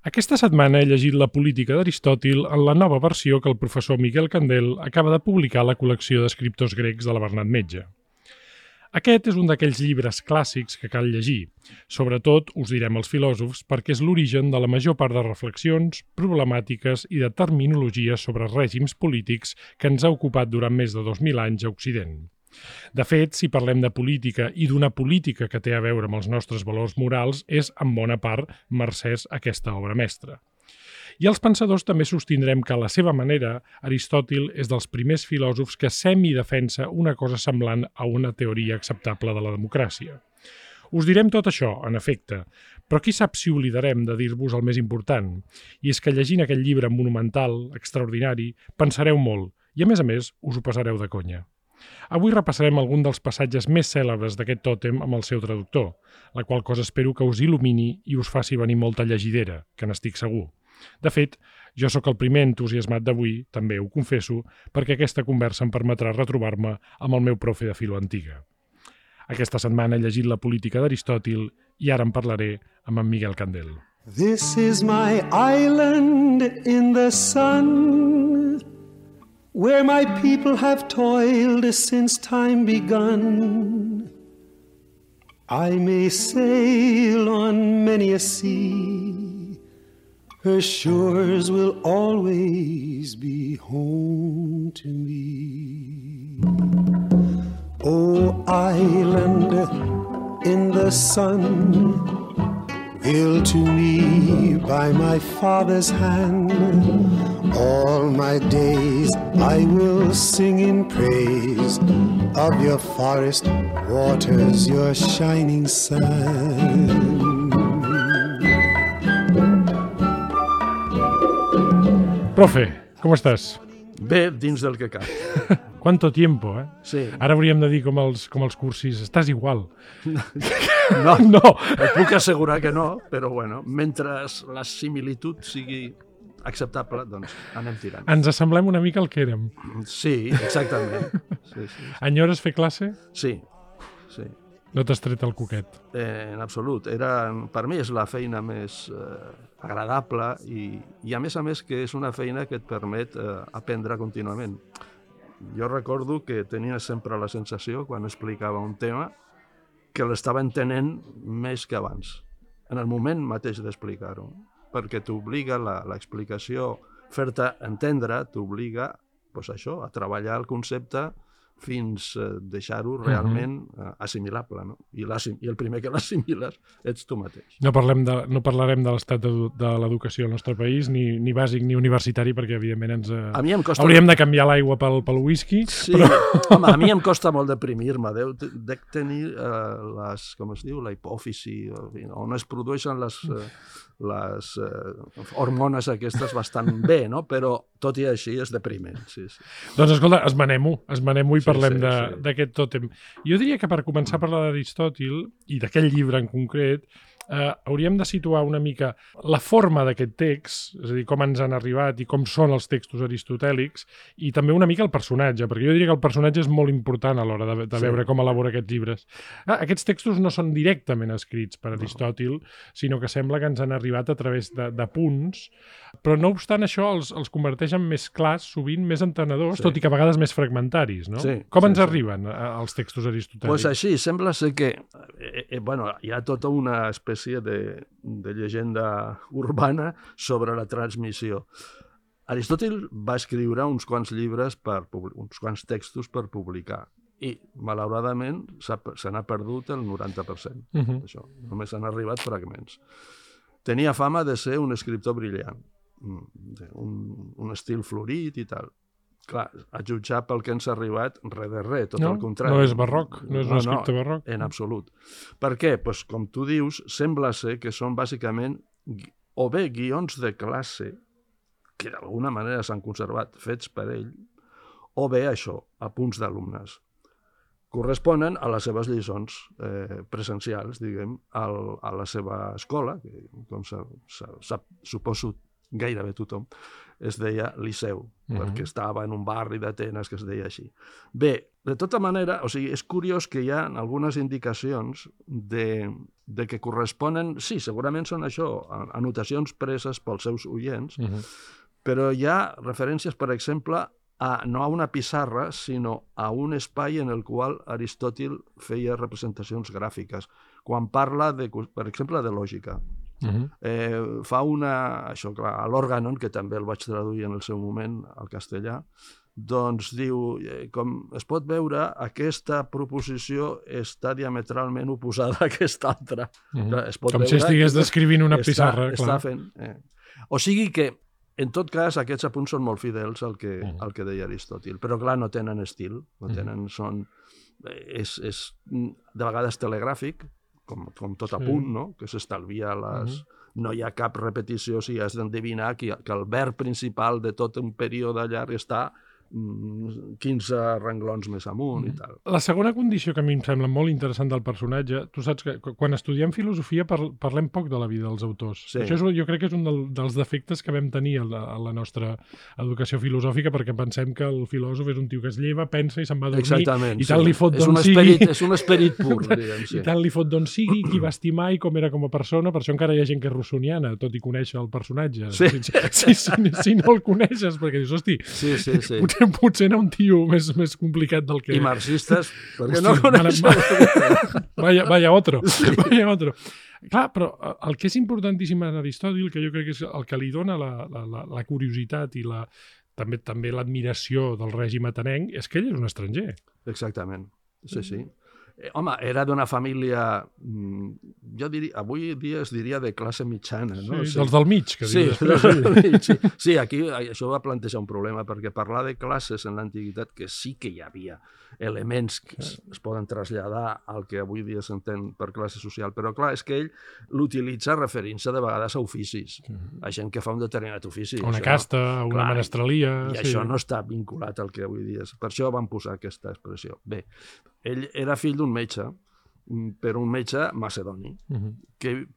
Aquesta setmana he llegit La política d'Aristòtil en la nova versió que el professor Miquel Candel acaba de publicar a la col·lecció d'escriptors grecs de la Bernat Metge. Aquest és un d'aquells llibres clàssics que cal llegir. Sobretot, us direm els filòsofs, perquè és l'origen de la major part de reflexions, problemàtiques i de terminologies sobre règims polítics que ens ha ocupat durant més de 2000 anys a Occident. De fet, si parlem de política i d'una política que té a veure amb els nostres valors morals, és en bona part mercès aquesta obra mestra. I els pensadors també sostindrem que a la seva manera, Aristòtil és dels primers filòsofs que semidefensa una cosa semblant a una teoria acceptable de la democràcia. Us direm tot això, en efecte, però qui sap si oblidarem de dir-vos el més important? I és que llegint aquest llibre monumental, extraordinari, pensareu molt i, a més, us ho passareu de conya. Avui repassarem algun dels passatges més cèlebres d'aquest tòtem amb el seu traductor, la qual cosa espero que us il·lumini i us faci venir molta llegidera, que n'estic segur. De fet, jo sóc el primer entusiasmat d'avui, també ho confesso, perquè aquesta conversa em permetrà retrobar-me amb el meu profe de filo antiga. Aquesta setmana he llegit La política d'Aristòtil i ara en parlaré amb en Miquel Candel. This is my island in the sun, where my people have toiled since time begun. I may sail on many a sea, her shores will always be home to me. Oh, island in the sun, built to me by my father's hand, all my days I will sing in praise of your forest waters, your shining sun. Profe, ¿cómo estás? Bé, dins del que cap. ¿Cuánto tiempo, eh? Sí. Ara hauríem de dir com els cursis, estàs igual. No, No. et puc assegurar que no, però bueno, mentre la similitud sigui acceptable, doncs anem tirant. Ens assemblem una mica al que érem. Sí, exactament. Sí. Enyores fer classe? Sí. No t'has tret el coquet. En absolut. Per mi és la feina més agradable i a més que és una feina que et permet aprendre contínuament. Jo recordo que tenia sempre la sensació, quan explicava un tema, que l'estava entenent més que abans, en el moment mateix d'explicar-ho, perquè t'obliga l'explicació, fer-te entendre, t'obliga doncs això, a treballar el concepte fins a deixar-ho realment assimilable, no? I el primer que l'assimiles ets tu mateix. No parlarem de l'estat de l'educació al nostre país, ni bàsic ni universitari, perquè evidentment A mi em costa... hauríem de canviar l'aigua pel whisky. Sí, però... home, a mi em costa molt deprimir-me. Dec tenir com es diu, la hipòfisi, on es produeixen les hormones aquestes bastant bé, no? Però tot i així és depriment. Sí. Doncs escolta, esmenem-ho i parlem d'aquest tòtem. Jo diria que per començar a parlar d'Aristòtil i d'aquell llibre en concret, hauríem de situar una mica la forma d'aquest text, és a dir, com ens han arribat i com són els textos aristotèlics, i també una mica el personatge, perquè jo diria que el personatge és molt important a l'hora de veure com elabora aquests llibres. Aquests textos no són directament escrits per Aristòtil, sinó que sembla que ens han arribat a través de punts, però no obstant això els converteix en més clars, sovint més entenedors, tot i que a vegades més fragmentaris, no? Com ens arriben els textos aristotèlics? Doncs així, sembla ser que hi ha tota una espècie de llegenda urbana sobre la transmissió. Aristòtil va escriure uns quants llibres, uns quants textos per publicar, i malauradament se n'ha perdut el 90% d'això. Només han arribat fragments. Tenia fama de ser un escriptor brillant, un estil florit i tal. Clar, a jutjar pel que ens ha arribat, res de res, tot el contrari. No és barroc, no és un escripte barroc. En absolut. Per què? Doncs, com tu dius, sembla ser que són bàsicament o bé guions de classe, que d'alguna manera s'han conservat fets per ell, o bé això, apunts d'alumnes. Corresponen a les seves lliçons presencials, diguem, a la seva escola, que com suposo gairebé tothom, es deia Liceu, perquè estava en un barri d'Atenes que es deia així. Bé, de tota manera, o sigui, és curiós que hi ha algunes indicacions de que corresponen, sí, segurament són això, anotacions preses pels seus oients, però hi ha referències, per exemple, no a una pissarra, sinó a un espai en el qual Aristòtil feia representacions gràfiques, quan parla, per exemple, de lògica. Fa això, clar, a l'Organon, que també el vaig traduir en el seu moment al castellà, doncs diu, com es pot veure, aquesta proposició està diametralment oposada a aquesta altra. Com si estigués descrivint una pissarra. Està fent. O sigui que, en tot cas, aquests apunts són molt fidels al que deia Aristòtil, però clar, no tenen estil, no tenen, és de vegades telegràfic, com tot apunt, no? Que s'estalvia no hi ha cap repetició, si has d'endevinar que el verb principal de tot un període llarg està 15 renglons més amunt i tal. La segona condició que a mi em sembla molt interessant del personatge, tu saps que quan estudiem filosofia parlem poc de la vida dels autors. Sí. Això jo crec que és un dels defectes que vam tenir a la nostra educació filosòfica, perquè pensem que el filòsof és un tio que es lleva, pensa i se'n va a dormir. Exactament, i tant li fot d'on sigui. És un esperit pur, diguem. I tant li fot d'on sigui, qui va estimar i com era com a persona. Per això encara hi ha gent que és rossoniana, tot i conèixer el personatge. Si no el coneixes, perquè dius, hosti, potser era un tio més complicat del que... I marxistes, perquè no coneixen. Vaya otro. Clar, però el que és importantíssim en Aristòtil, que jo crec que és el que li dona la curiositat i també l'admiració del règim atenenc, és que ell és un estranger. Exactament, sí. Home, era d'una família, jo diria, avui dia es diria de classe mitjana, no? Sí, dels del mig, que diu després. Sí, aquí això va plantejar un problema, perquè parlar de classes en l'antiguitat, que sí que hi havia elements que es poden traslladar al que avui dia s'entén per classe social, però clar, és que ell l'utilitza referint-se de vegades a oficis, a gent que fa un determinat ofici. Una casta, una menestralia... I això no està vinculat al que avui dia és. Per això van posar aquesta expressió. Bé, ell era fill d'un metge, però un metge macedoni,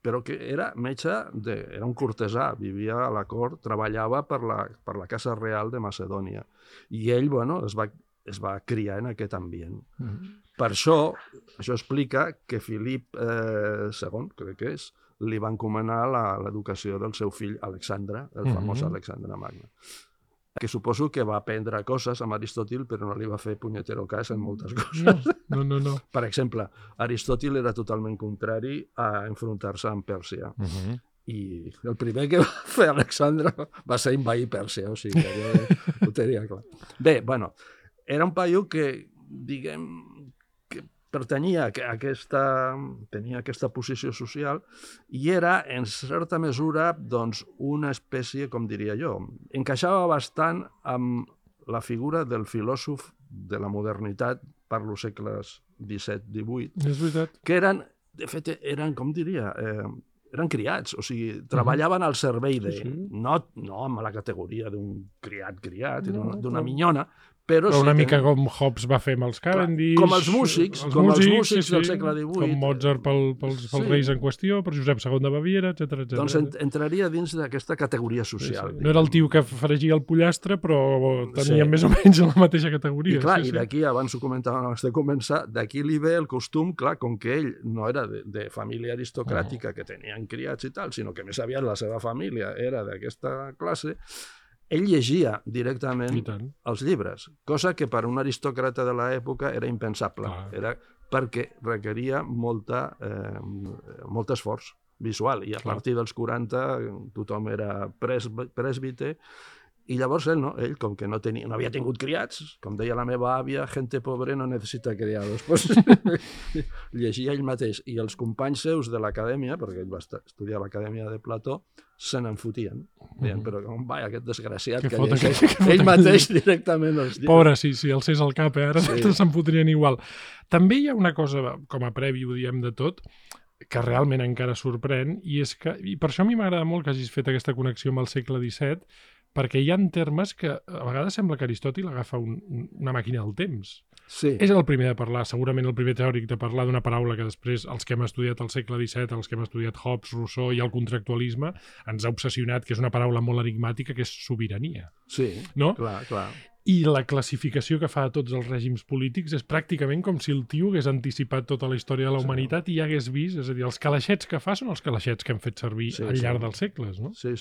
però que era metge, era un cortesà, vivia a la cort, treballava per la Casa Real de Macedònia. I ell, es va criar en aquest ambient. Per això explica que Filip II, crec que és, li va encomanar l'educació del seu fill Alexandre, el famós Alexandre Magne, que suposo que va aprendre coses amb Aristòtil, però no li va fer punyetero cas en moltes coses. No. Per exemple, Aristòtil era totalment contrari a enfrontar-se amb Pèrsia. I el primer que va fer Alexandre va ser invair Pèrsia, o sigui que ho tenia clar. Bé, era un paio que, diguem, que pertanyia a tenia aquesta posició social i era, en certa mesura, doncs, una espècie, com diria jo, encaixava bastant amb la figura del filòsof de la modernitat, parlo segles XVII-XVIII, és veritat. Que de fet, com diria... eren criats, o sigui, treballaven al servei de... No amb la categoria d'un criat, d'una minyona, però una mica com Hobbes va fer amb els Cavendish... Com els músics del segle XVIII. Com Mozart pels reis en qüestió, per Josep II de Baviera, etc. Doncs entraria dins d'aquesta categoria social. No era el tio que fregia el pollastre, però tenia més o menys la mateixa categoria. I clar, i d'aquí, abans ho comentàvem abans de començar, d'aquí li ve el costum, clar, com que ell no era de família aristocràtica, que tenien criats i tal, sinó que més aviat la seva família era d'aquesta classe, ell llegia directament els llibres, cosa que per un aristòcrata de l'època era impensable, era perquè requeria molt esforç visual, i a partir dels 40 tothom era presbiter, i llavors ell, com que no havia tingut criats, com deia la meva àvia, gente pobre no necessita criados, llegia ell mateix, i els companys seus de l'acadèmia, perquè ell va estudiar a l'acadèmia de Plató, se n'enfotien. Deien, però aquest desgraciat que llegeix ell mateix directament els llibres. Pobre, si alcés el cap, ara se'n fotrien igual. També hi ha una cosa, com a previ ho diem de tot, que realment encara sorprèn, i per això a mi m'agrada molt que hagis fet aquesta connexió amb el segle XVII, perquè hi ha termes que a vegades sembla que Aristòtil agafa una màquina del temps. Sí. És el primer de parlar, segurament el primer teòric de parlar d'una paraula que després els que hem estudiat al segle XVII, els que hem estudiat Hobbes, Rousseau i el contractualisme, ens ha obsessionat, que és una paraula molt enigmàtica, que és sobirania. Sí, no? clar. I la classificació que fa a tots els règims polítics és pràcticament com si el tio hagués anticipat tota la història de la humanitat i ja hagués vist, és a dir, els calaixets que fa són els calaixets que hem fet servir al llarg dels segles, no? Sí.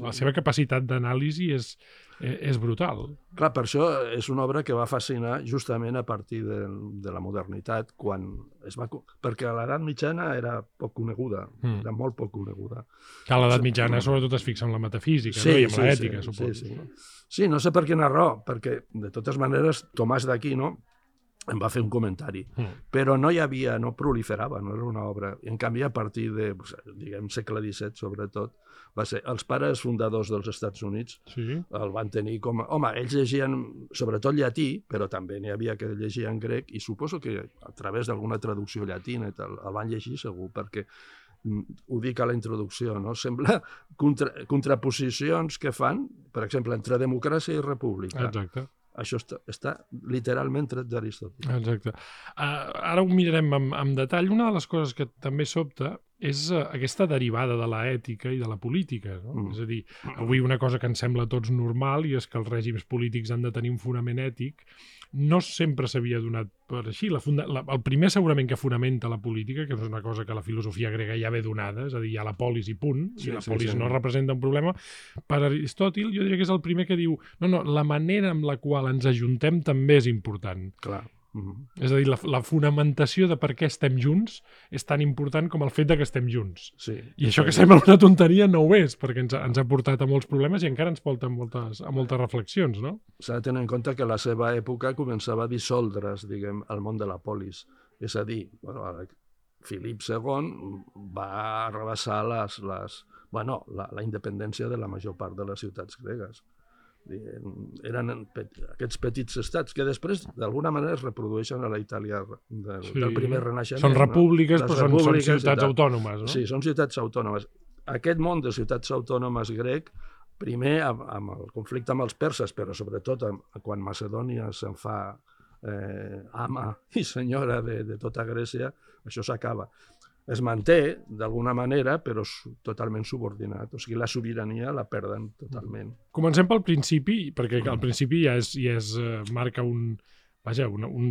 La seva capacitat d'anàlisi és brutal. Clar, per això és una obra que va fascinar justament a partir de la modernitat, quan es va... perquè a l'edat mitjana era poc coneguda, era molt poc coneguda. Que a l'edat mitjana sobretot es fixa en la metafísica, no? I en l'ètica, suposo. Sí, no sé per quina raó, perquè de totes maneres Tomàs d'Aquino em va fer un comentari, però no proliferava, no era una obra. I en canvi, a partir de, diguem, segle XVII, sobretot, va ser els pares fundadors dels Estats Units, el van tenir com... Home, ells llegien sobretot llatí, però també n'hi havia que llegien grec, i suposo que a través d'alguna traducció llatina i tal, el van llegir segur, perquè ho dic a la introducció, no? Sembla contraposicions que fan, per exemple, entre democràcia i república. Exacte. Això està literalment tret d'Aristòtil. Exacte. Ara ho mirarem amb detall. Una de les coses que també sobta és aquesta derivada de l'ètica i de la política. No? És a dir, avui una cosa que ens sembla a tots normal i és que els règims polítics han de tenir un fonament ètic, no sempre s'havia donat per així. El primer segurament que fonamenta la política, que és una cosa que la filosofia grega ja ve donada, és a dir, hi ha la polis i punt, i la polis no representa un problema, per Aristòtil jo diria que és el primer que diu no, la manera amb la qual ens ajuntem també és important. Clar. És a dir, la fonamentació de per què estem junts és tan important com el fet de que estem junts. I això que sembla una tonteria no ho és, perquè ens ha portat a molts problemes i encara ens porta a moltes reflexions, no? S'ha de tenir en compte que la seva època començava a dissoldre's, diguem, el món de la polis. És a dir, Filip II va arrabassar la independència de la major part de les ciutats gregues. Eren aquests petits estats que després d'alguna manera es reprodueixen a la Itàlia del primer renaixement. Són repúbliques, però són ciutats autònomes, no? Sí, són ciutats autònomes. Aquest món de ciutats autònomes grec, primer amb el conflicte amb els perses, però sobretot quan Macedònia se'n fa ama i senyora de tota Grècia, això s'acaba. Es manté d'alguna manera, però totalment subordinat. O sigui, la sobirania la perden totalment. Comencem pel principi, perquè al principi ja marca un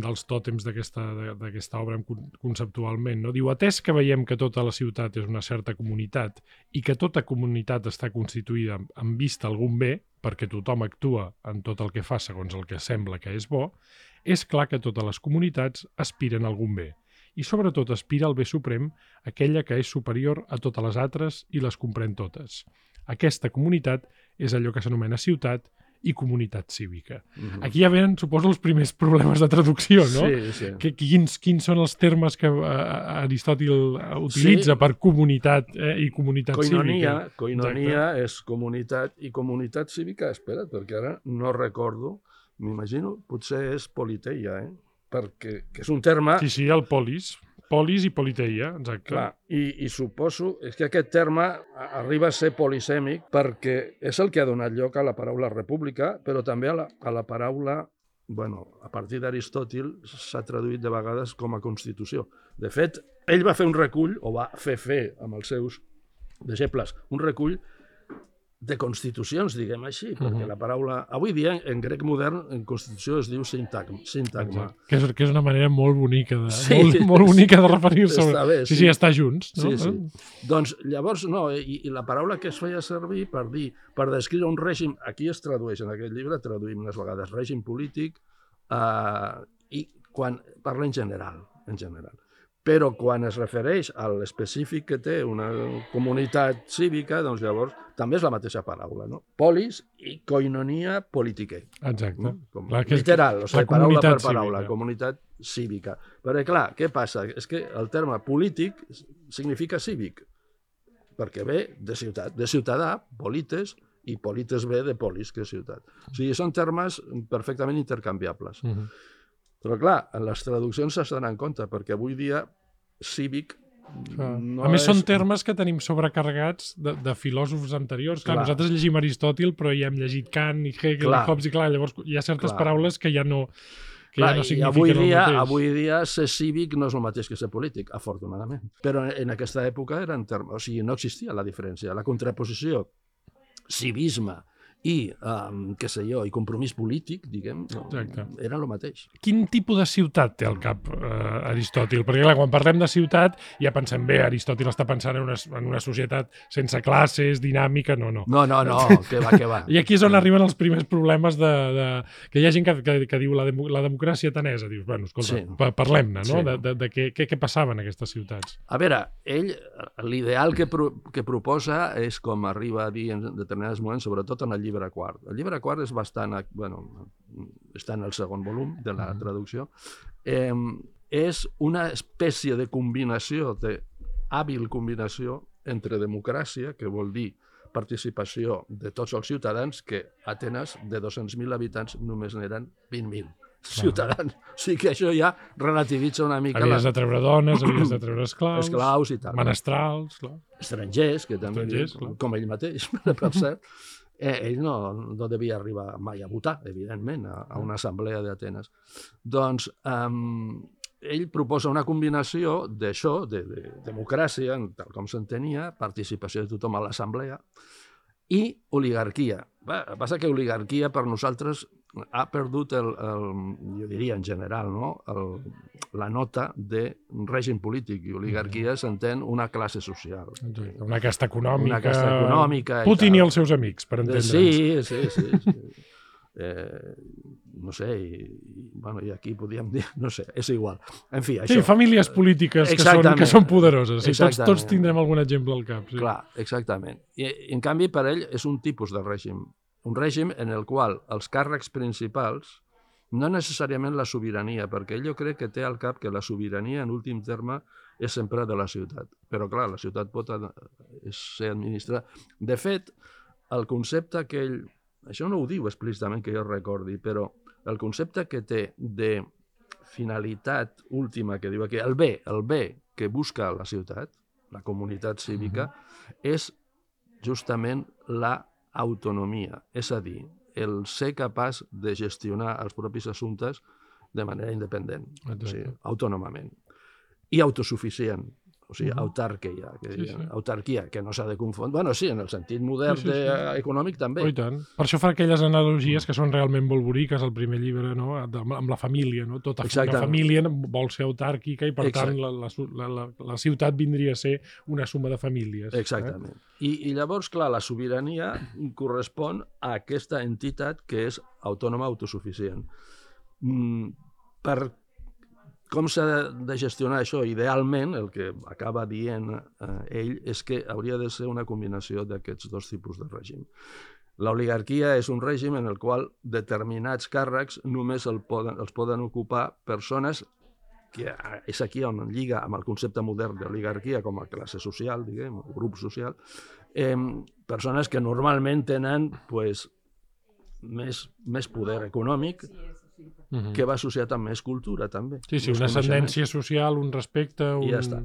dels tòtems d'aquesta obra conceptualment. No? Diu, atès que veiem que tota la ciutat és una certa comunitat i que tota comunitat està constituïda amb vista a algun bé, perquè tothom actua en tot el que fa segons el que sembla que és bo, és clar que totes les comunitats aspiren a algun bé. I sobretot aspira al bé suprem, aquella que és superior a totes les altres i les comprèn totes. Aquesta comunitat és allò que s'anomena ciutat i comunitat cívica. Aquí ja venen, suposo, els primers problemes de traducció, no? Sí. Quins són els termes que Aristòtil utilitza per comunitat i comunitat cívica? Coinonia és comunitat i comunitat cívica, espera't, perquè ara no recordo, m'imagino, potser és politeia, perquè és un terme... Sí, el polis i politeia, exacte. Clar, i suposo que aquest terme arriba a ser polisèmic perquè és el que ha donat lloc a la paraula república, però també a la paraula, a partir d'Aristòtil s'ha traduït de vegades com a constitució. De fet, ell va fer un recull, o va fer amb els seus deixebles, un recull de constitucions, diguem així, perquè la paraula... Avui dia, en grec modern, en constitució es diu sintagma. Que és una manera molt bonica molt bonica de referir-se. Està bé, sí, estar junts. No? Sí. Doncs llavors, no, i la paraula que es feia servir per descriure un règim, aquí es tradueix, en aquest llibre traduïm unes vegades règim polític, i quan parla en general. Però quan es refereix a l'específic que té una comunitat cívica, doncs llavors també és la mateixa paraula, no? Polis i koinonia politicae. Exacte. Literal, o sigui, paraula per paraula, comunitat cívica. Perquè, clar, què passa? És que el terme polític significa cívic, perquè ve de ciutat, de ciutadà, polites, i polites ve de polis, que és ciutat. O sigui, són termes perfectament intercanviables. Però, clar, en les traduccions s'has d'anar en compte, perquè avui dia cívic no a més, són termes que tenim sobrecarregats de filòsofs anteriors. Clar, nosaltres llegim Aristòtil, però ja hem llegit Kant i Hegel i Hobbes, i clar, llavors hi ha certes paraules que ja no que ja no signifiquen el mateix. Avui dia ser cívic no és el mateix que ser polític, afortunadament. Però en aquesta època o sigui, no existia la diferència. La contraposició civisme i, què sé jo, i compromís polític, diguem, era el mateix. Quin tipus de ciutat té al cap Aristòtil? Perquè, clar, quan parlem de ciutat ja pensem bé, Aristòtil està pensant en una societat sense classes, dinàmica, no. No, què va. I aquí és on arriben els primers problemes que hi ha gent que diu la democràcia atenesa. Dius, bueno, escolta, parlem-ne, no? De què passava en aquestes ciutats. A veure, ell, l'ideal que proposa és com arriba a dir en determinats moments, sobretot en el llibre quart. El llibre quart és bastant... està en el segon volum de la traducció. És una espècie de combinació, d'hàbil combinació entre democràcia, que vol dir participació de tots els ciutadans, que a Atenes, de 200.000 habitants, només n'eren 20.000 ciutadans. O sigui que això ja relativitza una mica... Havies de treure dones, havies de treure esclaus i tal. Menestrals, clar. Estrangers, que també, com ell mateix, per cert. Ell no devia arribar mai a votar, evidentment, a una assemblea d'Atenes. Doncs ell proposa una combinació d'això, de democràcia, tal com s'entenia, participació de tothom a l'assemblea, i oligarquia. Passa que oligarquia per nosaltres ha perdut, jo diria en general, la nota de règim polític, i oligarquia s'entén una classe social. Una casta econòmica. Putin i els seus amics, per entendre'ns. Sí. No sé, i aquí podríem dir, no sé, és igual. En fi, això... Sí, famílies polítiques que són poderoses. Tots tindrem algun exemple al cap. Clar, exactament. I en canvi, per ell, és un tipus de règim. Un règim en el qual els càrrecs principals, no necessàriament la sobirania, perquè ell jo crec que té al cap que la sobirania, en últim terme, és sempre de la ciutat. Però, clar, la ciutat pot ser administrada. De fet, el concepte que ell... Això no ho diu explícitament que jo recordi, però el concepte que té de finalitat última, que diu aquí, el bé que busca la ciutat, la comunitat cívica, és justament la autonomia, és a dir, el ser capaç de gestionar els propis assumptes de manera independent, o sigui, autònomament, i autosuficient, o sigui, autarquia, autarquia, que no s'ha de confondre. Bueno, sí, en el sentit modern econòmic també. I tant. Per això fa aquelles analogies que són realment molt boniques al primer llibre, no? Amb la família, no? Tota la família vol ser autàrquica i, per tant, la ciutat vindria a ser una suma de famílies. Exactament. I llavors, clar, la sobirania correspon a aquesta entitat que és autònoma, autosuficient. Com s'ha de gestionar això? Idealment, el que acaba dient ell és que hauria de ser una combinació d'aquests dos tipus de règim. L'oligarquia és un règim en el qual determinats càrrecs només els poden ocupar persones, que és aquí on lliga amb el concepte modern d'oligarquia com a classe social, diguem, o grup social, persones que normalment tenen més poder econòmic, que va associat amb més cultura, també. Sí, una ascendència social, un respecte... I ja està.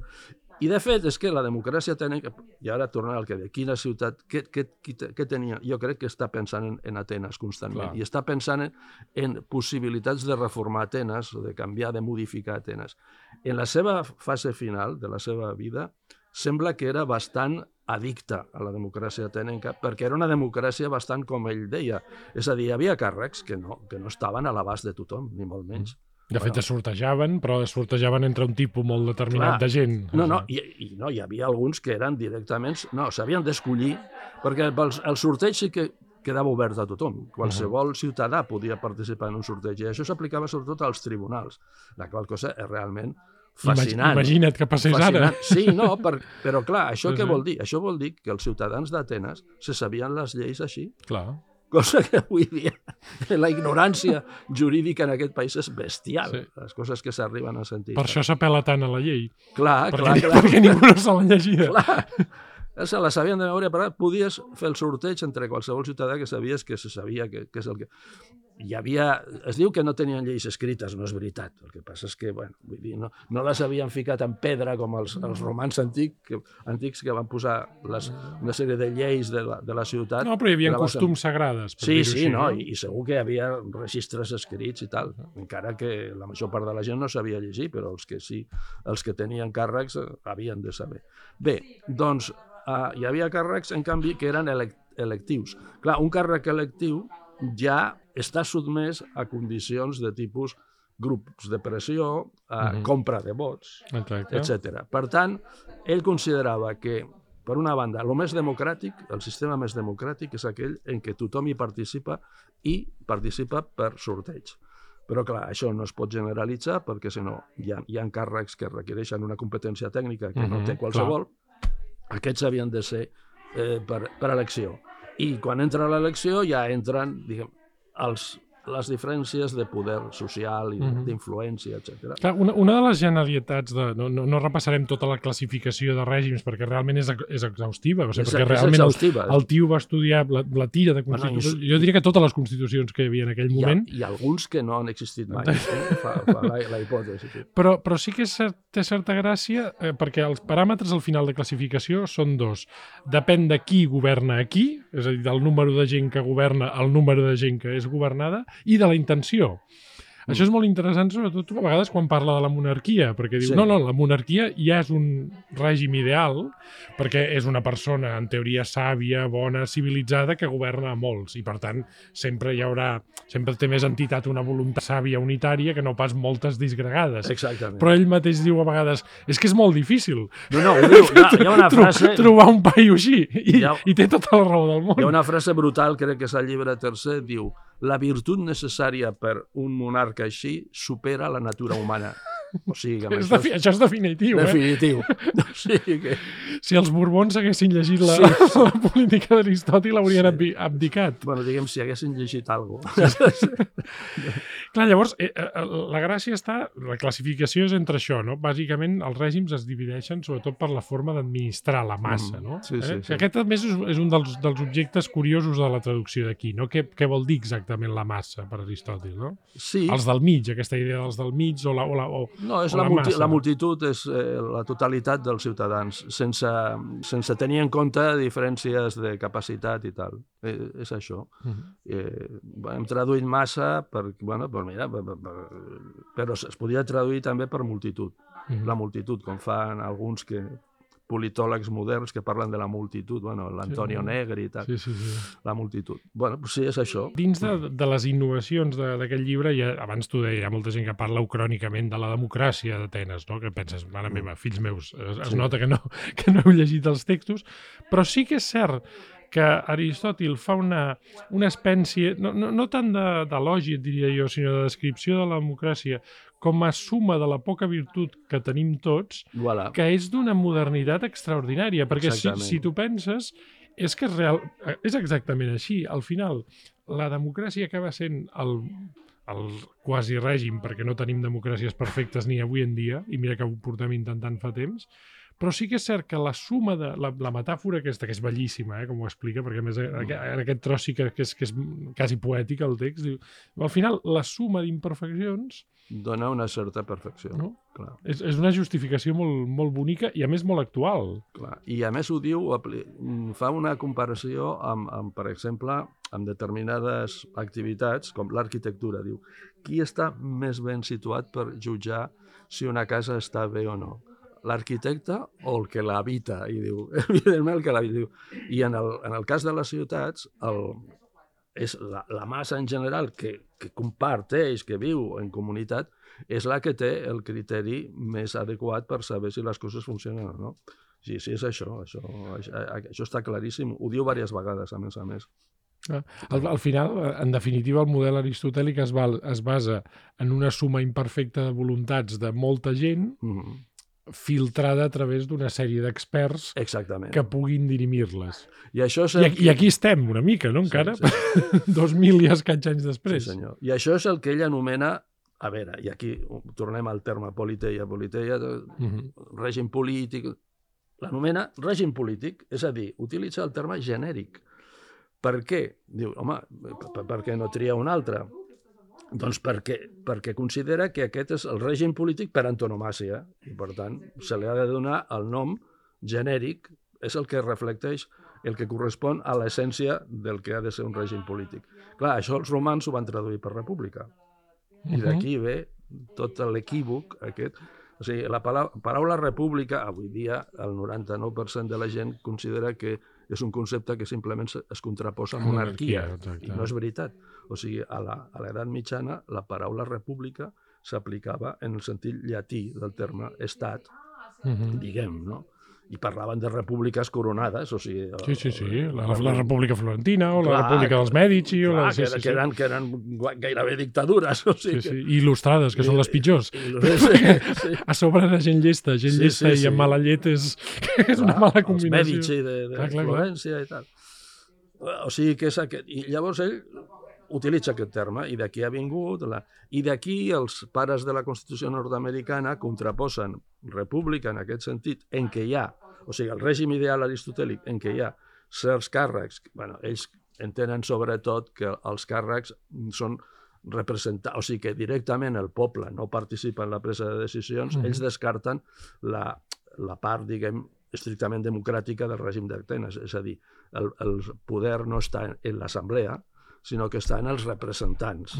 I, de fet, és que la democràcia tècnica... I ara tornant al que deia, quina ciutat... Què tenia? Jo crec que està pensant en Atenes constantment. I està pensant en possibilitats de reformar Atenes, o de canviar, de modificar Atenes. En la seva fase final de la seva vida, sembla que era bastant addicta a la democràcia atenenca, perquè era una democràcia bastant com ell deia. És a dir, hi havia càrrecs que no estaven a l'abast de tothom, ni molt menys. De fet, es sortejaven, però es sortejaven entre un tipus molt determinat de gent. Hi havia alguns que eren directament... No, s'havien d'escollir, perquè el sorteig sí que quedava obert a tothom. Qualsevol ciutadà podia participar en un sorteig, i això s'aplicava sobretot als tribunals, la qual cosa és realment fascinant. Imagina't que passés ara. Sí, però clar, això què vol dir? Això vol dir que els ciutadans d'Atenes se sabien les lleis així. Clar. Cosa que avui dia la ignorància jurídica en aquest país és bestial. Les coses que s'arriben a sentir. Per això s'apel·la tant a la llei. Clar. Perquè ningú no se l'ha llegida. Clar. Se la sabien de memòria, però podies fer el sorteig entre qualsevol ciutadà que sabies que se sabia que és el que... hi havia... Es diu que no tenien lleis escrites, no és veritat. El que passa és que, bueno, vull dir, no les havien ficat en pedra com els romans antics que van posar una sèrie de lleis de la ciutat. No, però hi havia costums sagrades. Sí, no? I segur que hi havia registres escrits i tal, encara que la major part de la gent no sabia llegir, però els que sí, els que tenien càrrecs havien de saber. Bé, doncs hi havia càrrecs, en canvi, que eren electius. Clar, un càrrec electiu ja està sotmès a condicions de tipus grups de pressió, compra de vots, etc. Per tant, ell considerava que, per una banda, el més democràtic, el sistema més democràtic és aquell en què tothom hi participa i participa per sorteig. Però, clar, això no es pot generalitzar perquè, si no, hi ha càrrecs que requereixen una competència tècnica que no té qualsevol. Aquests havien de ser per elecció. I quan entra l'elecció ja entren, diguem, les diferències de poder social i d'influència, etc. Una de les generalitats, no repassarem tota la classificació de règims perquè realment és exhaustiva, perquè realment el tio va estudiar la tira de constitucions, jo diria que totes les constitucions que hi havia en aquell moment. Hi ha alguns que no han existit mai, fa la hipòtesi. Però sí que té certa gràcia perquè els paràmetres al final de classificació són dos. Depèn de qui governa aquí, és a dir, del número de gent que governa al número de gent que és governada, i de la intenció. Això és molt interessant, sobretot a vegades quan parla de la monarquia, perquè diu, no, la monarquia ja és un règim ideal, perquè és una persona, en teoria, sàvia, bona, civilitzada, que governa a molts, i per tant, sempre té més entitat una voluntat sàvia unitària que no pas moltes disgregades. Exactament. Però ell mateix diu a vegades, és que és molt difícil. No, ho diu, hi ha una frase... Trobar un paio així, i té tota la raó del món. Hi ha una frase brutal, crec que és al llibre tercer, diu: la virtut necessària per un monarca així supera la natura humana. O sigui, això és definitiu. Definitiu. O sigui que... Si els Borbons haguessin llegit la política d'Aristòtil haurien abdicat. Bueno, diguem, si haguessin llegit alguna cosa. Clar, llavors, la gràcia està... La classificació és entre això, no? Bàsicament, els règims es divideixen sobretot per la forma d'administrar la massa, no? Sí. Aquest, a més, és un dels objectes curiosos de la traducció d'aquí, no? Què vol dir exactament la massa per Aristòtil, no? Sí. Els del mig, aquesta idea dels del mig No, és la multitud, és la totalitat dels ciutadans, sense tenir en compte diferències de capacitat i tal. És això. Hem traduït massa però es podria traduir també per multitud. La multitud, com fan alguns politòlegs moderns que parlen de la multitud, l'Antonio Negri i tal, la multitud. Sí, és això. Dins de les innovacions d'aquest llibre, abans t'ho deia, hi ha molta gent que parla ucrònicament de la democràcia d'Atenes, no? Que penses, mare meva, fills meus, es nota que no heu llegit els textos, però sí que és cert que Aristòtil fa una espècie, no tant d'elogi, diria jo, sinó de descripció de la democràcia com a suma de la poca virtut que tenim tots, que és d'una modernitat extraordinària, perquè si tu penses, és que és exactament així. Al final, la democràcia acaba sent el quasi règim, perquè no tenim democràcies perfectes ni avui en dia, i mira que ho portem intentant fa temps, però sí que és cert que la suma de la metàfora aquesta, que és bellíssima, com ho explica, perquè a més en aquest tros sí que és quasi poètic el text, diu, al final la suma d'imperfeccions dona una certa perfecció. No? Clar. És una justificació molt, molt bonica i a més molt actual. Clar. I a més ho diu, fa una comparació amb, per exemple, amb determinades activitats, com l'arquitectura. Diu, qui està més ben situat per jutjar si una casa està bé o no? L'arquitecte o el que l'habita? I diu, evidentment el que l'habita. I en el cas de les ciutats, és la massa en general que comparteix, que viu en comunitat, és la que té el criteri més adequat per saber si les coses funcionen o no. Sí, és això. Això està claríssim. Ho diu diverses vegades, a més. Al final, en definitiva, el model aristotèlic es basa en una suma imperfecta de voluntats de molta gent filtrada a través d'una sèrie d'experts que puguin dirimir-les. I aquí estem una mica, no? Encara, 2000 i escaig anys després. Sí, senyor. I això és el que ell anomena, a veure, i aquí tornem al terme politeia, règim polític, l'anomena règim polític, és a dir, utilitza el terme genèric. Per què? Diu, home, per què no tria un altre? Doncs perquè considera que aquest és el règim polític per antonomàsia i, per tant, se li ha de donar el nom genèric, és el que reflecteix, el que correspon a l'essència del que ha de ser un règim polític. Clar, això els romans ho van traduir per república. I d'aquí ve tot l'equívoc aquest. O sigui, la paraula república, avui dia, el 99% de la gent considera que és un concepte que simplement es contraposa a monarquia, i no és veritat. O sigui, a l'edat mitjana, la paraula república s'aplicava en el sentit llatí del terme estat, diguem, no? I parlaven de repúbliques coronades, o sigui... Sí. La República Florentina, o la República dels Mèdici... Que eren gairebé dictadures, o sigui... Sí. I il·lustrades, que són les pitjors. A sobre era gent llesta i amb mala llet és una mala combinació. Els Mèdici de Florència i tal. O sigui que és aquest... I llavors ell utilitza aquest terme, i d'aquí ha vingut... I d'aquí els pares de la Constitució nord-americana contraposen república en aquest sentit, en què hi ha, o sigui, el règim ideal aristotèlic, en què hi ha certs càrrecs, bueno, ells entenen sobretot que els càrrecs són representar, o sigui que directament el poble no participa en la presa de decisions, ells descarten la part, diguem, estrictament democràtica del règim d'Atenes, és a dir, el poder no està en l'assemblea, sinó que està en els representants.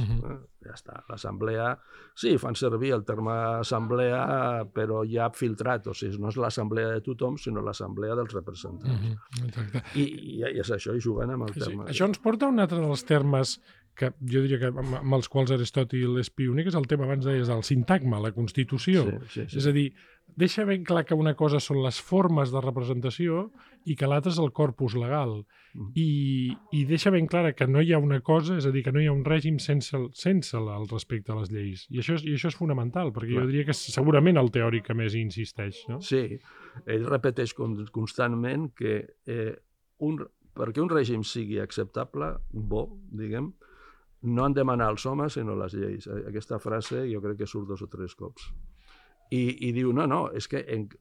Ja està. L'assemblea, sí, fan servir el terme assemblea, però ja filtrat, o sigui, no és l'assemblea de tothom, sinó l'assemblea dels representants. Exacte. I és això, i juguen amb el terme. Això ens porta a un altre dels termes que jo diria que amb els quals Aristòtil és pioner, que és el tema, abans deies, del sintagma, la constitució. Sí. És a dir, deixa ben clar que una cosa són les formes de representació i que l'altra és el corpus legal. I deixa ben clara que no hi ha una cosa, és a dir, que no hi ha un règim sense el respecte a les lleis. I això és fonamental, perquè jo diria que és segurament el teòric que més hi insisteix. No? Sí, ell repeteix constantment que perquè un règim sigui acceptable, bo, diguem, no han de manar els homes, sinó les lleis. Aquesta frase jo crec que surt 2 o 3 cops. I diu, no, és que,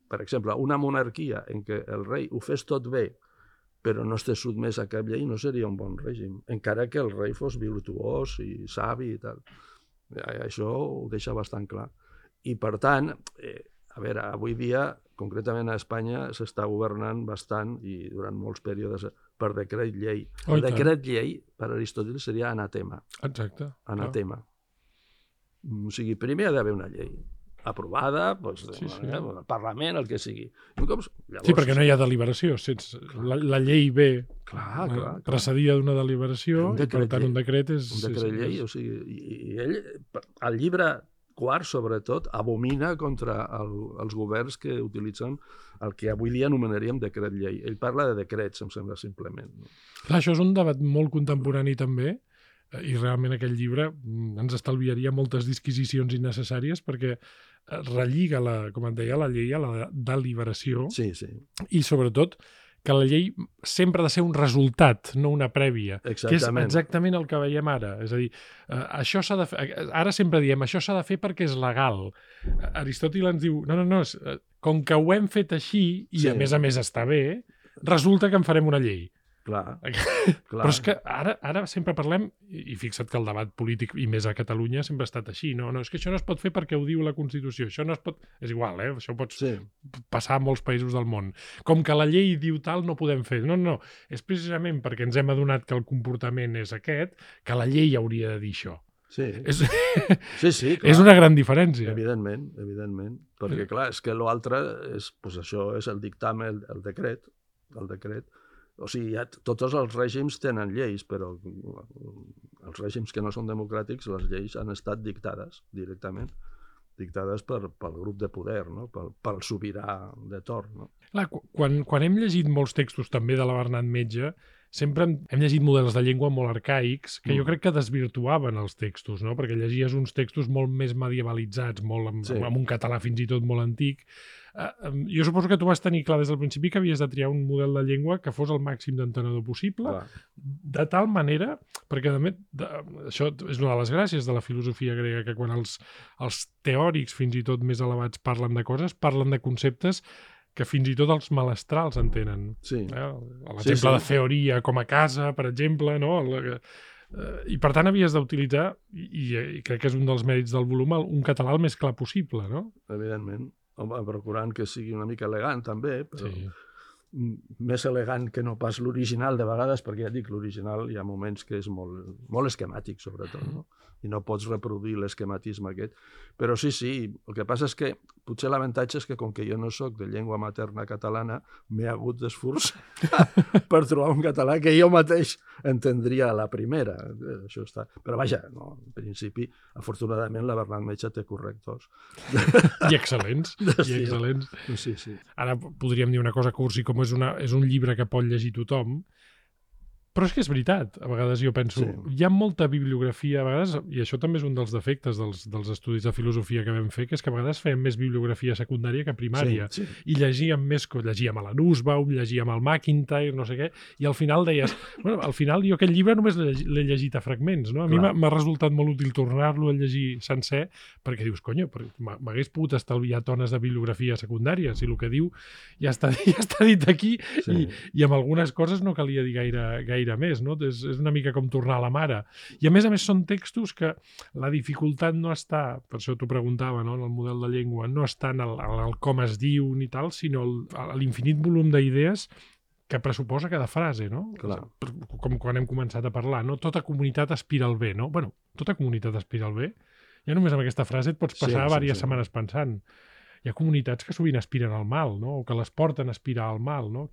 per exemple, una monarquia en què el rei ho fes tot bé, però no estés sotmès a cap llei, no seria un bon règim, encara que el rei fos virtuós i savi i tal. Això ho deixa bastant clar. I, per tant, a veure, avui dia, concretament a Espanya, s'està governant bastant, i durant molts períodes, per decret llei. El decret llei, per Aristòtil, seria anatema. Exacte. Anatema. O sigui, primer ha d'haver una llei aprovada, el Parlament, el que sigui. Llavors, sí, perquè no hi ha deliberació. La llei ve precedida d'una deliberació, i per tant un decret és... Un decret llei, o sigui, i ell, al llibre quart, sobretot, abomina contra els governs que utilitzen el que avui dia anomenaríem decret llei. Ell parla de decrets, em sembla, simplement. Clar, això és un debat molt contemporani també, i realment aquest llibre ens estalviaria moltes disquisicions innecessàries perquè relliga, com et deia, la llei a la deliberació. Sí. I sobretot que la llei sempre ha de ser un resultat, no una prèvia. Exactament. Que és exactament el que veiem ara. És a dir, això s'ha de fer... Ara sempre diem, això s'ha de fer perquè és legal. Aristòtil ens diu, no, com que ho hem fet així, i a més està bé, resulta que en farem una llei. Clar. Però és que ara sempre parlem, i fixa't que el debat polític, i més a Catalunya, sempre ha estat així. No, és que això no es pot fer perquè ho diu la Constitució. Això no es pot... És igual, això pots passar a molts països del món. Com que la llei diu tal, no podem fer. No. És precisament perquè ens hem adonat que el comportament és aquest, que la llei hauria de dir això. Sí, clar. És una gran diferència. Evidentment. Perquè, clar, és que l'altre és, això és el dictamen, el decret. O sigui, tots els règims tenen lleis, però els règims que no són democràtics, les lleis han estat dictades directament, dictades pel grup de poder, no? pel sobirà de torn. No? Clar, quan hem llegit molts textos també de la Bernat Metge, sempre hem llegit models de llengua molt arcaics que jo crec que desvirtuaven els textos, no? Perquè llegies uns textos molt més medievalitzats, amb un català fins i tot molt antic. Jo suposo que tu vas tenir clar des del principi que havies de triar un model de llengua que fos el màxim d'entenedor possible, de tal manera, perquè això és una de les gràcies de la filosofia grega, que quan els teòrics fins i tot més elevats parlen de coses, parlen de conceptes que fins i tot els malestrals entenen. Sí. L'exemple de teoria com a casa, per exemple, no? I per tant havies d'utilitzar, i crec que és un dels mèrits del volum, un català el més clar possible, no? Evidentment. Home, procurant que sigui una mica elegant, també, però Sí. més elegant que no pas l'original de vegades, perquè ja dic, l'original hi ha moments que és molt esquemàtic, sobretot, no? I no pots reproduir l'esquematisme aquest. Però sí, el que passa és que potser l'avantatge és que com que jo no sóc de llengua materna catalana, m'he hagut d'esforçar per trobar un català que jo mateix entendria a la primera. Això està... Però vaja, no, en principi, afortunadament, la Bernat Metge té correctors. I excel·lents. I excel·lents. Sí, sí. Ara podríem dir una cosa cursi, com és un llibre que pot llegir tothom, però és que és veritat. A vegades jo penso, hi ha molta bibliografia, a vegades, i això també és un dels defectes dels estudis de filosofia que vam fer, que és que a vegades fèiem més bibliografia secundària que primària. Sí. I llegíem més, llegíem a la Nussbaum, llegíem al McIntyre, no sé què, i al final deies, bueno, al final jo aquest llibre només l'he llegit a fragments, no? A mi m'ha resultat molt útil tornar-lo a llegir sencer, perquè dius, conyo, m'hagués pogut estalviar tones de bibliografia secundària, si el que diu ja està dit aquí, i amb algunes coses no calia dir gaire més, no? És una mica com tornar a la mare. I a més són textos que la dificultat no està, per això t'ho preguntava, no? En el model de llengua, no està en el com es diu ni tal, sinó l'infinit volum d'idees que pressuposa cada frase, no? Clar. Com quan hem començat a parlar, no? Tota comunitat aspira al bé, no? Bueno, tota comunitat aspira al bé. Ja només amb aquesta frase et pots passar diverses setmanes pensant. Hi ha comunitats que sovint aspiren al mal, no? O que les porten a aspirar al mal, no?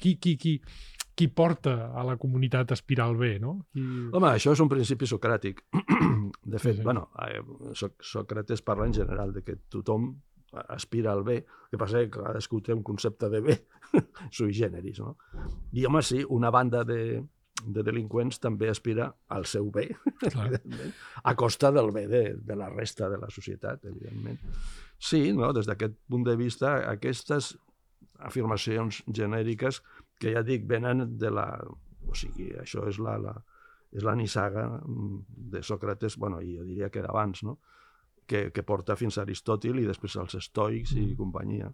Qui porta a la comunitat a aspirar al bé, no? Home, això és un principi socràtic. De fet, bueno, Sòcrates parla en general de que tothom aspira al bé, el que passa és que cadascú té un concepte de bé sui generis, no? I, home, sí, una banda de delinqüents també aspira al seu bé, evidentment, a costa del bé de la resta de la societat, evidentment. Sí, no? Des d'aquest punt de vista, aquestes afirmacions genèriques que ja dic, venen de la... O sigui, això és la nissaga de Sòcrates, bueno, i jo diria que d'abans, no? Que porta fins a Aristòtil i després als estoics i companyia.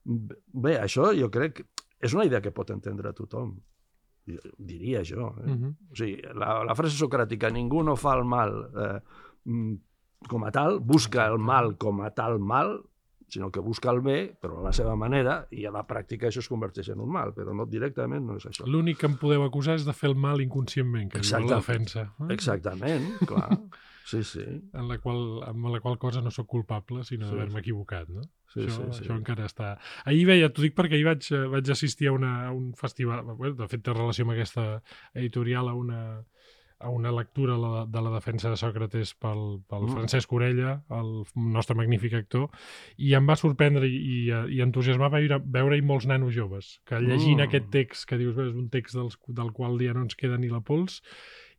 Bé, això jo crec que és una idea que pot entendre tothom, diria jo. O sigui, la frase socràtica, ningú no fa el mal com a tal, busca el mal com a tal mal, sinó que busca el bé, però a la seva manera, i a la pràctica això es converteix en un mal, però no directament no és això. L'únic que em podeu acusar és de fer el mal inconscientment, que diu la defensa. Exactament, clar. Sí. Amb la qual cosa no sóc culpable, sinó d'haver-me equivocat, no? Això encara està... Ahir veia, t'ho dic perquè ahir vaig assistir a un festival, de fet té relació amb aquesta editorial, a una lectura de la defensa de Sòcrates pel Francesc Orella, el nostre magnífic actor, i em va sorprendre i entusiasmar veure-hi molts nanos joves, que llegint aquest text, que dius, és un text del qual ja no ens queda ni la pols,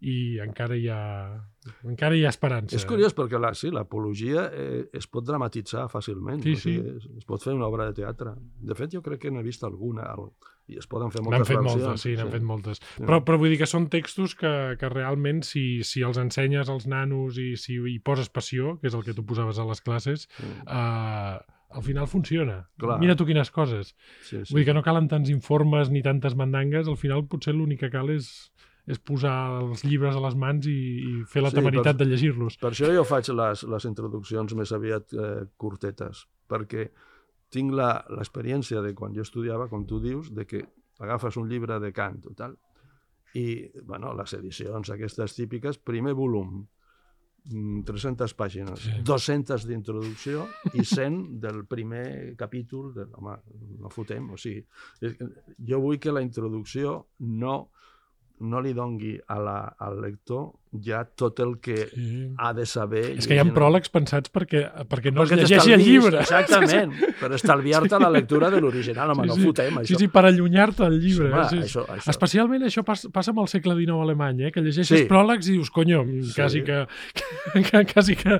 i encara hi ha esperança. És curiós perquè l'apologia es pot dramatitzar fàcilment. Sí. Es pot fer una obra de teatre. De fet, jo crec que n'he vist alguna, i es poden fer moltes versions. N'han fet moltes. Però vull dir que són textos que realment, si els ensenyes als nanos i si hi poses passió, que és el que tu posaves a les classes, al final funciona. Clar. Mira tu quines coses. Vull dir que no calen tants informes ni tantes mandangues, al final potser l'únic que cal és posar els llibres a les mans i fer la temeritat de llegir-los. Per això jo faig les introduccions més aviat curtetes, perquè tinc l'experiència de quan jo estudiava, com tu dius, de que agafes un llibre de Kant o tal, i les edicions aquestes típiques, primer volum, 300 pàgines, 200 d'introducció i 100 del primer capítol, home, no fotem, o sigui, jo vull que la introducció no li dongui al lector ja tot el que ha de saber. És que hi ha pròlegs pensats perquè no es llegeixi el llibre. Exactament, per estalviar-te la lectura de l'original. Home, no fotem, això. Sí, per allunyar-te del llibre. Això. Especialment això passa amb el segle XIX alemany, que llegeixes pròlegs i dius, conyo, quasi que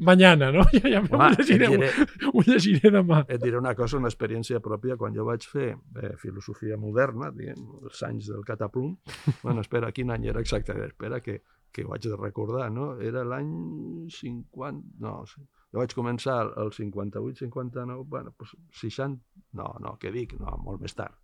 mañana, no? Ja ho llegiré demà. Et diré una cosa, una experiència pròpia, quan jo vaig fer filosofia moderna, els anys del cataplum, espera, quin any era exactament? Espera, que ho haig de recordar, no? Era l'any 50... No, jo vaig començar el 58, 59, 60... No, què dic? No, molt més tard.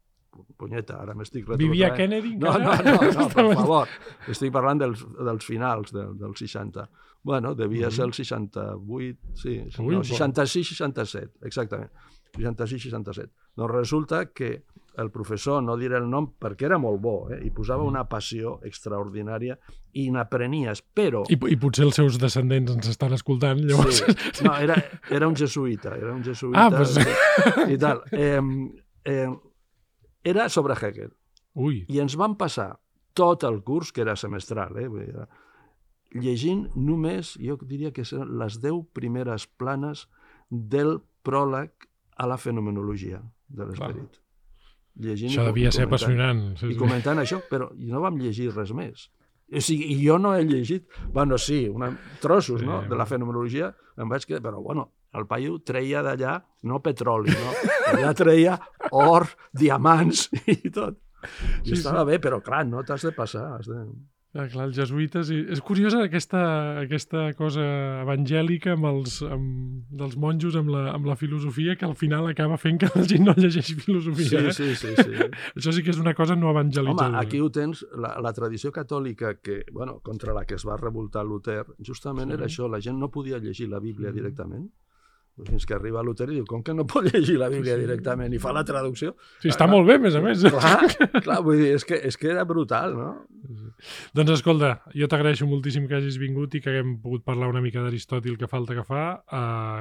punyeta, ara m'estic retrotraient. Vivia Kennedy No, encara? per favor. Estic parlant dels finals dels 60. Bueno, devia ser el 68, sí, Ui, no, 66-67, exactament. 66-67. Doncs resulta que el professor, no diré el nom perquè era molt bo, i posava una passió extraordinària i n'aprenies, però... I potser els seus descendents ens estan escoltant, llavors... Sí. No, era un jesuïta, pues... i tal. Era sobre Hegel. Ui. I ens van passar tot el curs, que era semestral, llegint només, jo diria que eren les 10 primeres planes del pròleg a la fenomenologia de l'esperit. Això devia ser apassionant. I comentant això, però no vam llegir res més. O sigui, jo no he llegit, bueno, sí, trossos, no?, de la fenomenologia, em vaig quedar, però bueno, el paio treia d'allà, no petroli, no? Allà treia or, diamants i tot. I estava bé, però clar, no t'has de passar, Clar, els jesuïtes... És curiosa aquesta cosa evangèlica dels monjos amb la filosofia que al final acaba fent que la gent no llegeixi filosofia. Sí. Això sí que és una cosa no evangelitzadora. Home, aquí ho tens, la tradició catòlica contra la que es va revoltar Luter, justament era això, la gent no podia llegir la Bíblia directament. Fins que arriba Luter i diu, com que no pot llegir la Bíblia directament? I fa la traducció. Sí, està molt bé, a més a més. Clar, vull dir, és que era brutal, no? Doncs escolta, jo t'agraeixo moltíssim que hagis vingut i que haguem pogut parlar una mica d'Aristòtil, que falta que fa.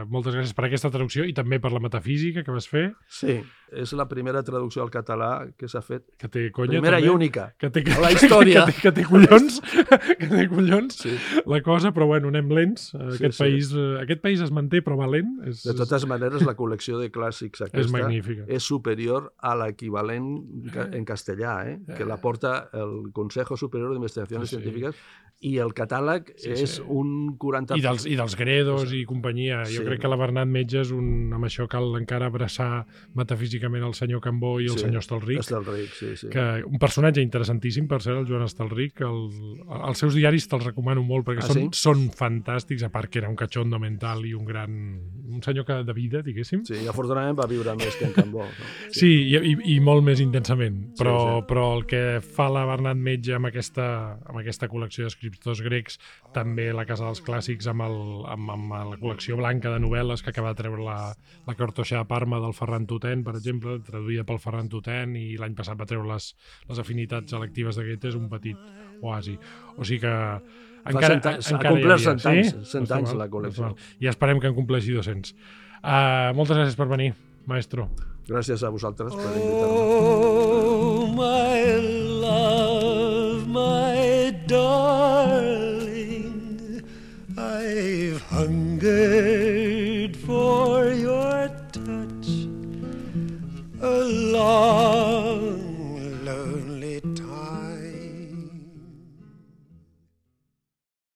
Moltes gràcies per aquesta traducció i també per la metafísica que vas fer. Sí, és la primera traducció al català que s'ha fet. Que té conya, primera també. I única. A la història. Que té collons. Que té collons. Sí. La cosa, però bueno, anem lents. Aquest país es manté, però va lent. De totes maneres, la col·lecció de clàssics aquesta és superior a l'equivalent en castellà, que la porta el Consejo Superior d'Investigacions Científiques, i el catàleg és un 40%. I dels Gredos i companyia. Jo crec que la Bernat Metge és amb això cal encara abraçar metafísicament el senyor Cambó i el senyor Estalric. Estalric, sí. Un personatge interessantíssim, per ser el Joan Estalric. Els seus diaris te'ls recomano molt perquè són fantàstics, a part que era un cachondo mental i un senyor de vida, diguéssim. Sí, afortunadament va viure més que en Cambó. No? Sí, i molt més intensament. Però el que fa la Bernat Metge amb aquesta col·lecció d'escriptors grecs, també la Casa dels Clàssics amb la col·lecció blanca de novel·les que acaba de treure la Cartoixa de Parma del Ferran Tutén, per exemple, traduïda pel Ferran Tutén, i l'any passat va treure les afinitats electives de Goethe, és un petit oasi. O sigui que encara ha complert 100 anys la col·lecció. I esperem que en compleixi 200. Moltes gràcies per venir, maestro. Gràcies a vosaltres per invitar-me. Oh, my love, my darling, I've hungered for your touch a long